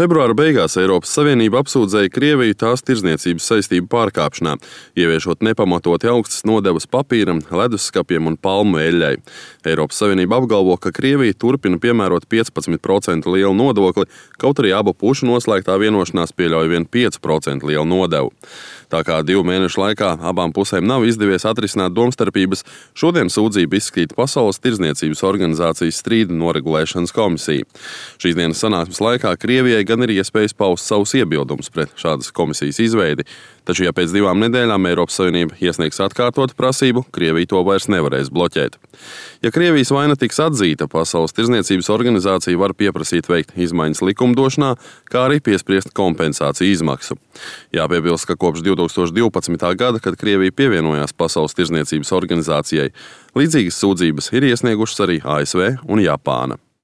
Februāra beigās Eiropas Savienība apsūdzēja Krieviju tās tirdzniecības saistību pārkāpšanā, ieviešot nepamatoti augstas nodevas papīram, leduskapiem un palmu eļļai. Eiropas Savienība apgalvo, ka Krievija turpina piemērot 15% lielu nodokli, kaut arī abu pušu noslēgtā vienošanās pieļauj vien 5% lielu nodevu. Tā kā 2 mēnešu laikā abām pusēm nav izdevies atrisināt domstarpības, šodien sūdzību izskata Pasaules tirdzniecības organizācijas strīdu noregulēšanas komisija. Šīs dienas sanāksmes laikā Krievijai gan ir iespējas paust savus iebildumus pret šādas komisijas izveidi, taču, ja pēc 2 nedēļām Eiropas Savienība iesniegs atkārtotu prasību, Krievija to vairs nevarēs bloķēt. Ja Krievijas vaina tiks atzīta, Pasaules tirdzniecības organizācija var pieprasīt veikt izmaiņas likumdošanā, kā arī piespriest kompensāciju izmaksu. Jāpiebilst, ka kopš 2012. gada, kad Krievija pievienojās Pasaules tirdzniecības organizācijai, līdzīgas sūdzības ir iesniegušas arī ASV un Japāna.